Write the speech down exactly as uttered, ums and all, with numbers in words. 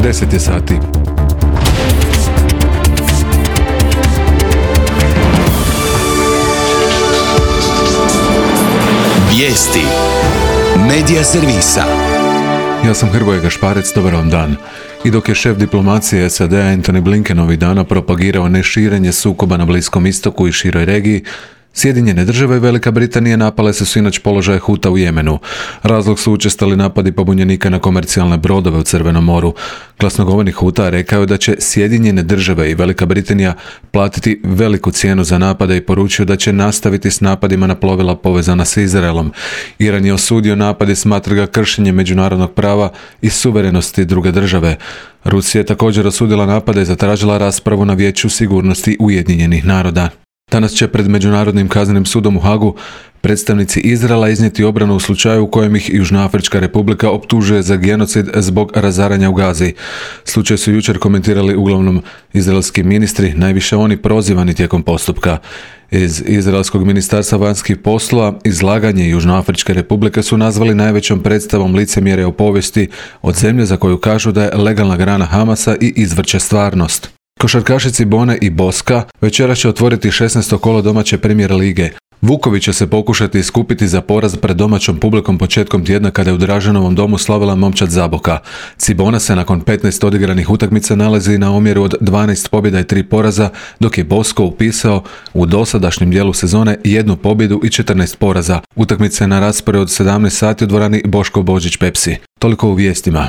deset je sati. Vijesti Medija servisa. Ja sam Hrvoje Gašparec, dobar vam dan. I dok je šef diplomacije S A D-a Antony Blinken ovih dana propagirao neširenje sukoba na Bliskom istoku i široj regiji, Sjedinjene države i Velika Britanija napale su sinoć položaje Huta u Jemenu. Razlog su učestali napadi pobunjenika na komercijalne brodove u Crvenom moru. Glasnogovornik Huta rekao je da će Sjedinjene države i Velika Britanija platiti veliku cijenu za napade i poručio da će nastaviti s napadima na plovila povezana s Izraelom. Iran je osudio napad i smatra ga kršenjem međunarodnog prava i suverenosti druge države. Rusija je također osudila napade i zatražila raspravu na Vijeću sigurnosti Ujedinjenih naroda. Danas će pred Međunarodnim kaznenim sudom u Hagu predstavnici Izraela iznijeti obranu u slučaju u kojem ih Južnoafrička Republika optužuje za genocid zbog razaranja u Gazi. Slučaj su jučer komentirali uglavnom izraelski ministri, najviše oni prozivani tijekom postupka. Iz Izraelskog ministarstva vanjskih poslova izlaganje Južnoafričke Republike su nazvali najvećom predstavom licemjerja u povijesti od zemlje za koju kažu da je legalna grana Hamasa i izvrće stvarnost. Košarkašici Bone i Boska večeras će otvoriti šesnaesto kolo domaće Premier lige. Vukovi će se pokušati iskupiti za poraz pred domaćom publikom početkom tjedna kada je u Draženovom domu slavila momčad Zaboka. Cibona se nakon petnaest odigranih utakmica nalazi na omjeru od dvanaest pobjeda i tri poraza, dok je Bosko upisao u dosadašnjem dijelu sezone jednu pobjedu i četrnaest poraza. Utakmice na rasporedu od sedamnaest sati u dvorani Boško Božić Pepsi. Toliko u vijestima.